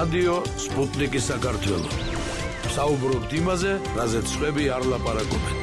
რადიო სპუტნიკის საქართველო. საუბრობთ იმაზე, რაზეც სხვები არ ლაპარაკობენ.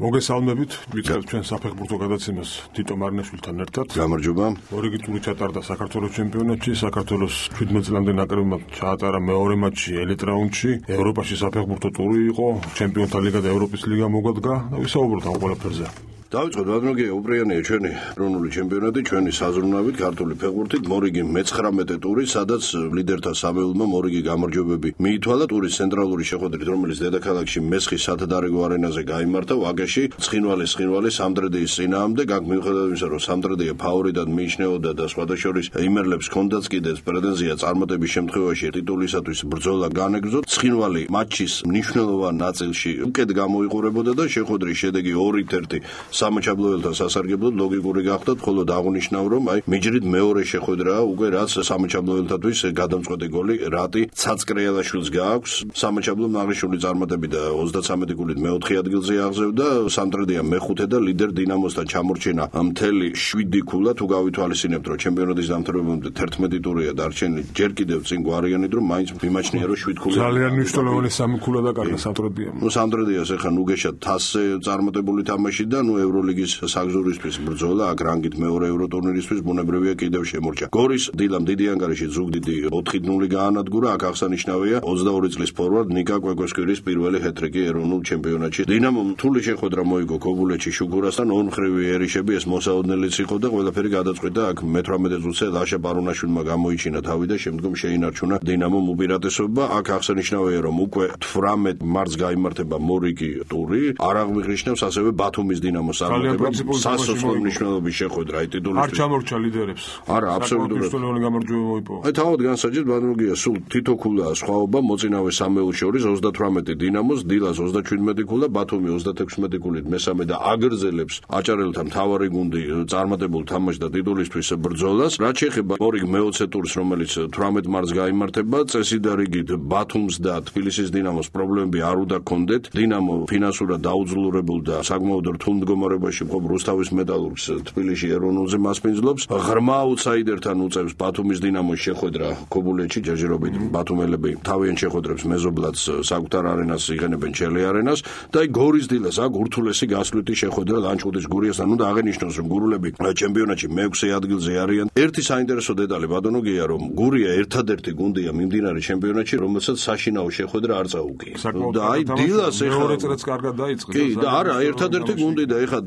მოგესალმებით, ვიწყებთ ჩვენ საფეხბურთო გადაცემას თიტო მარნაშვილთან ერთად. გამარჯობა. ორიგი ტური ჩატარდა საქართველოს ჩემპიონატში, საქართველოს 17 წლამდე ნაკრებმა ჩაატარა მეორე მატჩი ელიტ რაუნდში. ევროპაში საფეხბურთო ტური იყო, ჩემპიონთა ლიგა და ევროპის ლიგა მოგვადგა და ვისაუბროთ ამ ყველაფერზე. დავიწყოთ ბატონო, უპრიანია ჩვენი ეროვნული ჩემპიონატი, ჩვენი საზრუნავით ქართული ფეხბურთით, მორიგი მე-19 ტური, სადაც ლიდერთა სამეულმა მორიგი გამარჯვებები მიითვალა ტურის ცენტრალური შეხვედრით, რომელიც დედაქალაქში მესხის სათადარიგო არენაზე გაიმართა, ვაგაში ცხინვალის სამტრედიის წინააღმდეგ, აქ მიუხედავად იმისა, რომ სამტრედია ფავორიტად მიიჩნეოდა და სხვადასხვა იმერლებს ჰქონდაც კიდეც პრეტენზია წარმატების შემთხვევაში ტიტულისათვის ბრძოლა განეგრძოთ, ცხინვალი მატჩის მნიშვნელოვან ნაწილში უკეთ გამოიყურებოდა და შეხვედრის შედეგი 2-1 სამაჩაბლოელთან სასარგებლოდ ლოგიკური გახდათ, ხოლო აღნიშნავ, რომ მიჯრით მეორე შეხვედრაა უკვე რაც სამაჩაბლოელთათვის გადამწყვეტი გოლი რატი ცაცკრიალაშვილს გააქვს. სამაჩაბლომ აღნიშნული წარმატებით 33 გოლით მეოთხე ადგილზე აღზევდა, სამტრედია მე-5 და ლიდერ დინამოსთან ჩამორჩენა მთელი 7 ქულა. თუ გავითვალისწინებთ, რომ ჩემპიონატის დამთავრებამდე 11 ტურია დარჩენილი, ჯერ კიდევ წინ გვარიანით, რომ მაინც მიმაჩნია, რომ 7 ქულა ძალიან მნიშვნელოვანი 3 ქულა დაკარგა სამტრედიამ. სამტრედიას ეხა ნუგეშად თასზე წარმატებული თამაში და ევროლიგის საგზურისთვის ბრძოლა, აქ რანგით მეორე ევროტურნირისთვის ბუნებრივია კიდევ შემორჩა. გორის დილამ დიდი ანგარიში ზუგდიდი 4-0 გაანადგურა, აქ აღსანიშნავია 22 წლის ფორვარდ ნიკა კვეკოსკვირის პირველი ჰეტრიკი ეროვნულ ჩემპიონატში. დინამომ რთული შეხვედრა მოიგო ქობულეთში შუქურასთან, ორმხრივი ერიშები, ეს მოსაოდნელიც იყო და ყველაფერი გადაწყვიტა. აქ მე-18 წუთზე ლაშა პარუნაშვილმა გამოიჩინა თავი და შემდგომ შეინარჩუნა დინამომ უპირატესობა. აქ აღსანიშნავია, რომ უკვე 18 მარტს გაიმართება მორიგი ტური, არ აღმიღნიშნავს ასევე ბათუმის დინამოს სასოფლო მნიშვნელობის შეხვედრა ტიტულისთვის. არ ჩამორჩა ლიდერებს. არა, აბსოლუტურად. მნიშვნელოვანი გამარჯვება მოიპოვა. თავად განსაჯეთ ბატონოგია, სულ თითო ქულაა სხვაობა მოწინავე სამეულს შორის 38 დინამოს, დილას 27 ქულა, ბათუმი 36 ქულით მესამე და აგრძელებს აჭარელთა მთავარი გუნდი წარმატებულ თამაშს და ტიტულისთვის ბრძოლას. რაც შეეხება მორიგ მე-20 ტურს, რომელიც 18 მარტს გაიმართება, წესიდა რიგით ბათუმს და თბილისის დინამოს პრობლემები არ უნდა გქონდეთ. დინამო ფინანსურად დაუძლურებულ და საკმაოდ რთულ მდგომარეობაში მყოფ რუსთავის მეტალურგს თბილისში ეროვნულზე მასპინძლობს. ღრმა აუტსაიდერთან უწევს ბათუმის დინამოს შეხვედრა ქობულეთში, ჯერჯერობით ბათუმელები თავიანთ შეხვედრებს მეზობლად საკუთარ არენას იღენებენ ჩელე არენას და გორის დილას აქ ურთულესი გასვლითი შეხვედრა ლანჩხუთის გურიასთან. უნდა აღინიშნოს, რომ გურულები ჩემპიონატში მე-6 ადგილზე არიან. ერთი საინტერესო დეტალი ბატონოგია, რომ გურია ერთადერთი გუნდია მიმდინარე ჩემპიონატში, რომელსაც საშინაო შეხვედრა არ წაუგია. და დილას მეორე წელს კარგად დაიწყო. კი, და არა, ერთადერთი გუნდი და ეხლა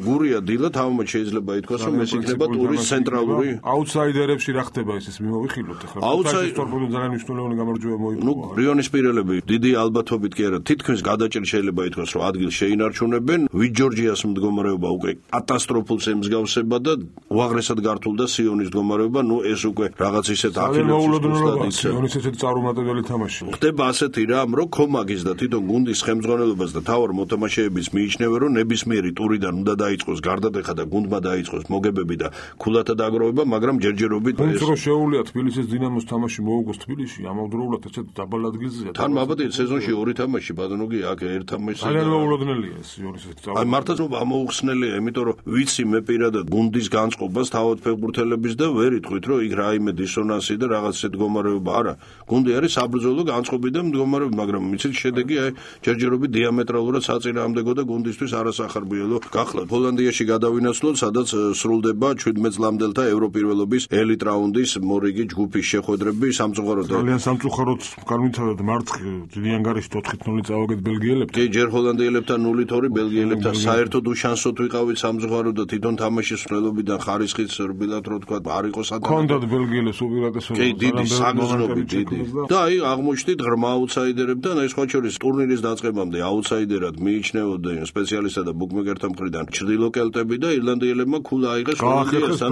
გურია დილა თავმოჩ შეიძლება ითქვას, რომ ეს იქნება ტურის ცენტრალური აუტსაიდერებში რა ხდება ეს მივიხილოთ ახლა. აუტსაიდერებში ძალიან მნიშვნელოვანი გამარჯვება მოიპოვა. რიონის პირელები დიდი ალბათობით კი არა, თითქმის გადაჭრით შეიძლება ითქვას, რომ ადგილს შეინარჩუნებენ. ვიჯორჯიას მდგომარეობა უკვე კატასტროფულს ემსგავსება და უაღრესად გართულდა სიონის მდგომარეობა. ეს უკვე რაღაც ისეთ ახილებს სიონის ესეთი წარუმატებელი თამაში. ხდება ასეთი რამ, რომ კომაგის და თვითონ გუნდის ხელმძღვანელობას და თავარ მოთამაშეების მიიჩნევენ, რომ ნებისმიერი ტურიდან უნდა დაიწყოს გარდატეხა და გუნდმა დაიწყოს მოგებები და ქულათა დაგროვება, მაგრამ ჯერჯერობით ეს რო შეუულია თბილისის დინამოს თამაში მოუგოს თბილისში, ამავდროულად ესეთ დაბალ ადგილზეა. თან მაბადია სეზონში 2 თამაში ბატონოგია, აქ ერთ თამაშს ძალიან მოულოდნელია ეს სიონის ესეთი წარუმატებელი. მართლაც ამოუხსნელია, იმიტომ რომ ვიცი მე პირადად გუნდის განწყობას თავად ფეხბურთელების და ვერ იტყვით, რომ იქ რაიმე დისონანსი და რაღაც ისეთ მდგომარეობა არა. გუნდი არის საბრძოლო განწყობი და მდგომარეობა, მაგრამ მიცით შედეგი ჯერჯერობით დიამეტრალურად საწინააღმდეგო და გუნდისთვის არასახარბიელო გახლავთ. ჰოლანდიაში გადავინაცვლოთ, სადაც სრულდება 17 წლამდელთა ევროპირველობის ელიტ რაუნდის მორიგი ჯგუფის შეხვედრები. სამწუხაროდ ძალიან სამწუხაროდ განვითარდა მარცხი დიდი ანგარიში 4-0 წავაგეთ ბელგიელებთან. კი, ჯერ ჰოლანდიელებთან 0-2, ბელგიელებთან საერთოდ უშანსოდ ვიყავით სამწუხაროდ და თვითონ თამაშის მსვლელობიდან ხარისხიც რბილად რო თქვა არ იყო სათამაშო. კონდად ბელგიელებს უპირატესობა. კი, დიდი საგზნობი დიდი. და აღმოჩნდით ღრმა აუტსაიდერებთან, ეს სხვა შორის ტურნირის დაწყებამდე აუტსაიდერად მიიჩნეოდნენ სპეციალისტთა და ბუკმეკერთა მხრიდან ჩრდილო კელტები და ირლანდიელებმა ქულა აიღეს ჰოლანდიასთან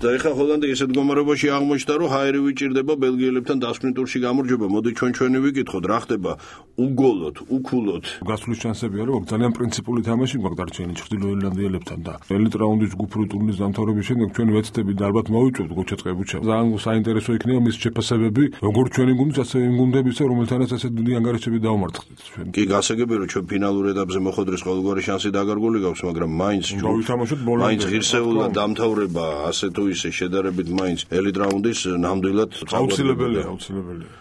და ეხლა ჰოლანდია ესეთ მდგომარეობაში აღმოჩნდა, რომ ჰაერი ვიჭირდება ბელგიელებთან დასკვნით ტურში გამარჯვება. მოდი ჩვენი ვიკითხოთ, რა ხდება უგოლოთ, უქულოთ. გასვლის შანსები არის, ძალიან პრინციპული თამაში გვაქვს დარჩენილი ჩრდილო ირლანდიელებთან და ელიტ რაუნდის ჯგუფური ტურნირის დამთავრების შემდეგ ჩვენ ვეცდები და ალბათ მოვიწვევთ გოჩაწყებუჩა. ძალიან საინტერესო იქნება მის შეფასებები, როგორც ჩვენი გუნდის, ასევე იმ გუნდებისა, რომელთანაც ასეთ დიდი ანგარიშები დავმარცხდით ჩვენ. კი, გასაგებია, რომ ჩვენ ფინალურ ეტაპზე მოხვედრის ყოველგვარი შანსი დაგარგული გაქვს, მაგრამ მაინც ვითამაშოთ ბოლომდე. მაინც ღირსეულად დამთავრება ასე თუ ისე შედარებით მაინც ელიტ რაუნდის ნამდვილად აუცილებელია.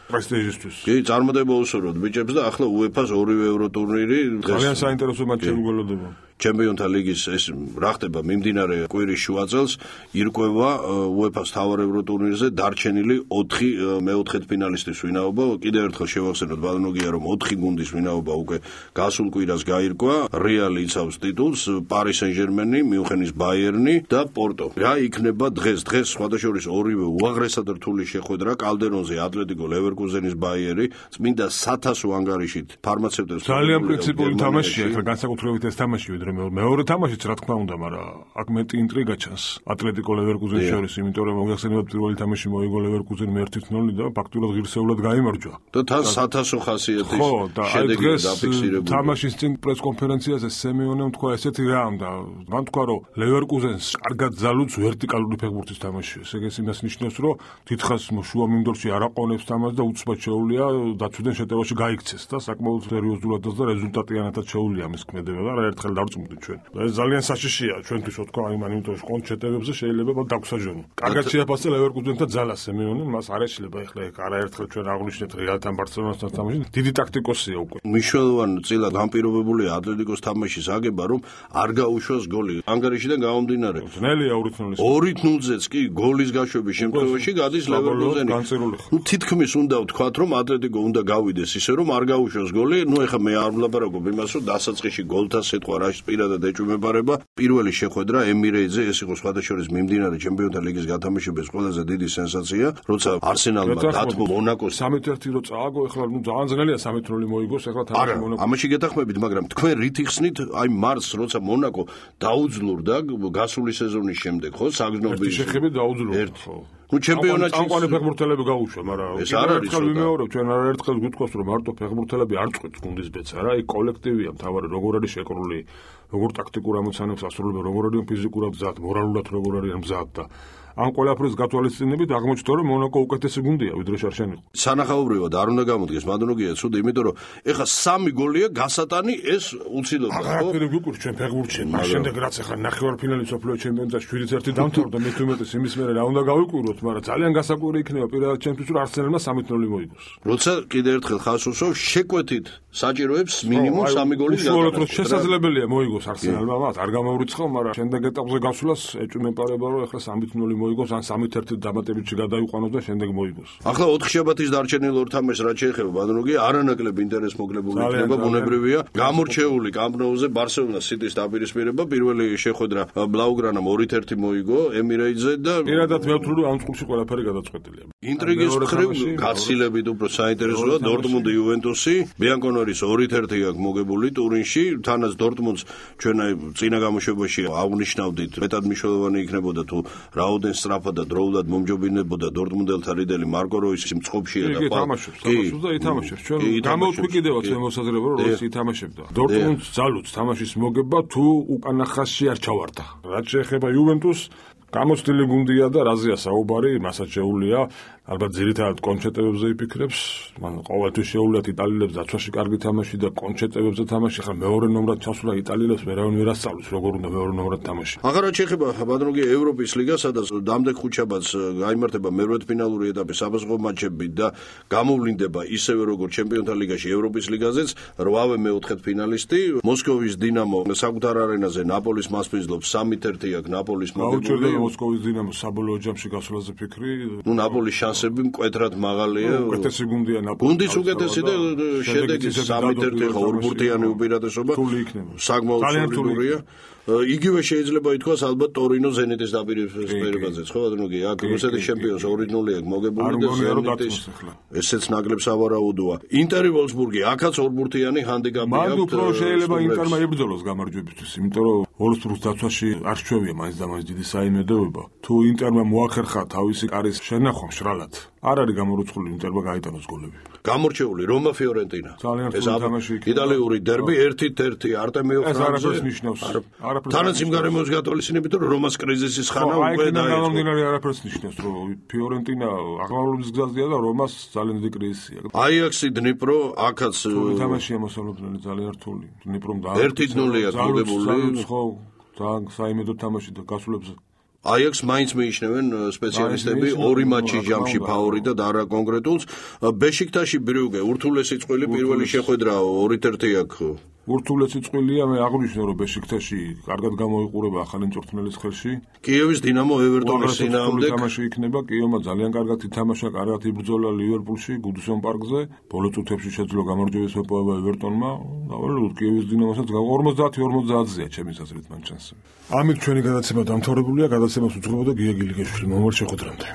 პრესტიჟისთვის. კი, წარმატება უსურვოთ ბიჭებს და ახლა UEFA-ს ორივე ევროტურნირი ძალიან საინტერესო მატჩები გველოდება. ჩემპიონთა ლიგის ეს რა ხდება მიმდინარე კვირის შუა წელს ირკვევა UEFA-ს თავარ ევროტურნირზე დარჩენილი 4 მეოთხედფინალისტის ვინაობა. კიდევ ერთხელ შევახსენოთ ბალნოგია, რომ 4 გუნდის ვინაობა უკვე გასულ კვირას გაირკვა. რეალი იცავს ტიტულს, პარი სენ-ჟერმენი, მიუნხენის ბაიერნი და პორტო. რა იქნება დღეს სხვადასხვა ორივე უაღრესად რთული შეხვედრა კალდერონზე ატლეტიკო ლევერკუზენის ბაიერი, წმინდა 1000 ანგარიშით ფარმაცევტებს. ძალიან პრინციპული თამაშია, ახლა განსაკუთრებით ეს თამაში მეორე თამაშიც რა თქმა უნდა, მაგრამ აქ მეტი ინტრიგა ჩანს ატლეტიკო ლევერკუზენის შორის, იმიტომ რომ მოგახსენებათ პირველი თამაში მოიგო ლევერკუზენი 1-0 და ფაქტურად ღირსეულად გაიმარჯვა. და თან 1000 ხასიათის შედეგი დაფიქსირებული. თამაშის წინ პრესკონფერენციაზე სემეონემ თქვა ესეთი რამ და მან თქვა რომ ლევერკუზენს კარგად ზალუც ვერტიკალური ფეხბურთის თამაში. ეს ეგ იმას ნიშნავს, რომ თითქოს შუა მინდორში არ აყონებს თამაშს და უცბად შეუძლია დაცვიდან შეტევაში გაიქცეს და საკმაოდ სერიოზულად და რეზულტატიანად შეუძლია მის ქმედება და არაერთხელ დავწმუნდით ჩვენ. ეს ძალიან საშიშია ჩვენთვის თქვა იმიტომ რომ კონტ შეტევებზე შეიძლება დაგვსაჯონო. კარგად შეაფასე ლევერკუზენთან ძალას სემეონე, მას არ ეშლება ეხლა არაერთხელ ჩვენ აღვნიშნეთ რეალთან ბარსელონასთან თამაში. დიდი ტაქტიკოსია უკვე. მნიშვნელოვანი წილად განპირობებულია ატლეტიკოს თამაშის აგება, რომ არ გაუშვას გოლი. ანგარიშიდან გამომდინარე. ძნელია 2-0-ს. 2-0-ზეც კი გოლის გაშვების შემთხვევაში გადის ლევერკუზენი. თითქმის უნდა ვთქვათ, რომ ატლეტიკო უნდა გავიდეს ისე, რომ არ გაუშვას გოლი. ეხლა მე არ ვლაპარაკობ იმას, რომ დასაწყისში გოლთა სიტყვა რა პირადად ეჭვმებარება. პირველი შეხვედრა ემირეიტზე ეს იყო სხვადასხვა მიმდინარე ჩემპიონთა ლიგის გათამაშების ყველაზე დიდი სენსაცია, როცა არსენალმა დათმო მონაკოს 3-1 რო წააგო, ეხლა ძალიან ძნელია 3-0 მოიგოს, ეხლა თამაში მონაკო. ამაში გეთახმებით, მაგრამ თქვენ რით იხსნით აი მარტს, როცა მონაკო დაუძლურდა გასული სეზონის შემდეგ, ხო, საგზნობი შეხები დაუძლურდა, ხო. ჩემპიონატში წამყვანი ფეხბურთელები გაუშვა, მაგრამ ეს არ არის ერთხელ ვიმეორებ, ჩვენ არაერთხელ გვიტყვას, რომ მარტო ფეხბურთელები არ წყვეტს გუნდის ბეცა რა, იქ კოლექტივია მთავარი, როგორ არის შეკრული, როგორ ტაქტიკურ ამოცანებს ასრულებენ, როგორ არის ფიზიკურად მზად, მორალურად როგორ არის მზად და ამ ყველაფრის გათვალისწინებით აღმოჩნდა, რომ მონაკო უკეთესი გუნდია, ვიდრე შარშან იყო. სანახაობრივად არ უნდა გამოდგეს მადონოგია ცუდი, იმიტომ რომ ეხა 3 გოლია გასატანი ეს უცილოა, ხო? აღარ გვიკვირს ჩვენ ფეხბურთში, მას შემდეგ რაც ეხა ნახევარფინალი სოფლიო ჩემპიონატში 7-1 დამთავრდა, მე თუმეტეს იმის მერე რა უნდა გავიკვიროთ, მაგრამ ძალიან გასაკვირი იქნება პირადად ჩემთვის, რომ არსენალმა 3-0 მოიგოს. როცა კიდევ ერთხელ ხას უსვევ, შეკვეთით საჭიროებს მინიმუმ 3 გოლის გატანა. შესაძლებელია მოიგოს არსენალმა, მათ არ გამოვრიცხავ, მაგრამ შემდეგ ეტაპზე გასვლას ეჭვმეპარება, რომ ეხლა 3-0 მოიგოს, ან 3-1 დამატებითში გადაიყვანოს და შემდეგ მოიგოს. ახლა 4 შაბათის დარჩენილ ორ თამაშს რაც შეეხება ბანროგი, არანაკლებ ინტერესს მოგლებული იქნება, ბუნებრივია. გამორჩეული კამპ-ნოუზე ბარსელონა სიტის დაპირისპირება, პირველი შეხვედრა ბლაუგრანამ 2-1 მოიგო ემირეიტზე და პირადად მე ვთვლი, რომ ამ წყულში ყველაფერი გადაწყვეტილია. ინტრიგის მხრივ გაცილებით უფრო საინტერესოა დორტმუნდი იუვენტუსი, ბიანკონერის 2-1 აქვს მოგებული ტურინში, თანაც დორტმუნდს ჩვენ წინა გამოშვებაში აღნიშნავდით, მეტად მნიშვნელოვანი იქნებოდა თუ რაოდენ სწრაფად და დროულად მომჯობინებოდა დორტმუნდელთა რიდელი მარკო როისი მწყობშია და თამაშობს და ითამაშებს. ჩვენ გამოვთქვი კიდევაც მე მოსაზრება, რომ როისი ითამაშებდა. დორტმუნდს ძალუც თამაშის მოგება თუ უკანა ხაზში არ ჩავარდა. რაც შეეხება იუვენტუსს, გამოცდილი გუნდია და რაზეა საუბარი, მასაც შეუულია ალბათ ძირითადად კონჩეტებებზე იფიქრებს, მან ყოველთვის შეუულიათ იტალიელებს დაცვაში კარგი თამაში და კონჩეტებებზე თამაში, ხა მეორე ნომრად ჩასულა იტალიელებს ვერავინ ვერ ასწავლის როგორ უნდა მეორე ნომრად თამაში. აღარა შეეხება ბადროგი ევროპის ლიგა, სადაც დამდეგ ხუთშაბათს გაიმართება მერვედფინალური ეტაპის საბაზღო მატჩები და გამოვლინდება ისევე როგორც ჩემპიონთა ლიგაში ევროპის ლიგაზეც 8-ვე მეოთხედფინალისტი, მოსკოვის დინამო საკუთარ არენაზე ნაპოლის მასპინძლობს 3-1 აქვს ნაპოლის მოგებული. მოსკოვის დინამოს საბოლოო ჯამში გასვლაზე ფიქრი, ნაპოლის შანსები მკვეთრად მაღალია. უკეთესი გუნდია ნაპოლი. გუნდის უკეთესი და შედეგი 3-1 ორბურთიანი უპირატესობა. საკმაოდ სოლიდურია. იგივე შეიძლება ითქვას ალბათ ტორინო ზენიტის დაპირისპირებაზეც, ხო ბატონო? აქ რუსეთის ჩემპიონს 2-0 აქვს მოგებული და ზენიტის ესეც ნაკლებ სავარაუდოა. ინტერი ვოლსბურგი აქაც ორბურთიანი ჰანდიკაპი აქვს. მანდ უფრო შეიძლება ინტერმა იბრძოლოს გამარჯვებისთვის, იმიტომ რომ ვოლსბურგს დაცვაში არ შეჩვევია მაინც და მაინც დიდი საიმედოება. თუ ინტერმა მოახერხა თავისი კარის შენახვა მშრალად, არ არის გამორიცხული ინტერმა გაიტანოს გოლები. გამორჩეული რომა ფიორენტინა. ძალიან რთული თამაში იქნება. იტალიური დერბი 1-1 არტემიო ფრანზე. ეს არაფერს ნიშნავს. თანაც იმ გარემოს გათვალისწინებით რომ რომას კრიზისის ხანა უკვე გამომდინარე არაფერს ნიშნავს რომ ფიორენტინა აღმავლობის გზაზეა და რომას ძალიან დიდი კრიზისია. აიაქსი დნიპრო აქაც თამაშია მოსალოდნელი ძალიან რთული. დნიპრომ და 1-0-ია გოგებული. ხო, ძალიან საიმედო თამაში და გასულებზე აიაქსს მაინც მიიჩნევენ სპეციალისტები ორი მატჩის ჯამში ფავორიტად არა კონკრეტულს. ბეშიქტაში ბრიუგე ურთულესი წყვილი პირველი შეხვედრა 2-1 აქვს. ურთულესი წყვილია მე აღვნიშნე რომ ბეშიქტაში კარგად გამოიყურება ახალი მწვრთნელის ხელში. კიევის დინამო ევერტონის წინააღმდეგ თამაში იქნება. კიევმა ძალიან კარგად ითამაშა, კარგად იბრძოლა ლივერპულში, გუდსონ პარკზე. ბოლო წუთებში შეძლო გამარჯვების მოპოვება ევერტონმა. დავალებოთ კიევის დინამოსაც 50-50-ზეა ჩემი აზრით მან ჩანს. ამით ჩვენი გადაცემა დამთავრებულია. გადაცემას უძღვებოდა გია გილიკაშვილი. მომავალ შეხვედრამდე.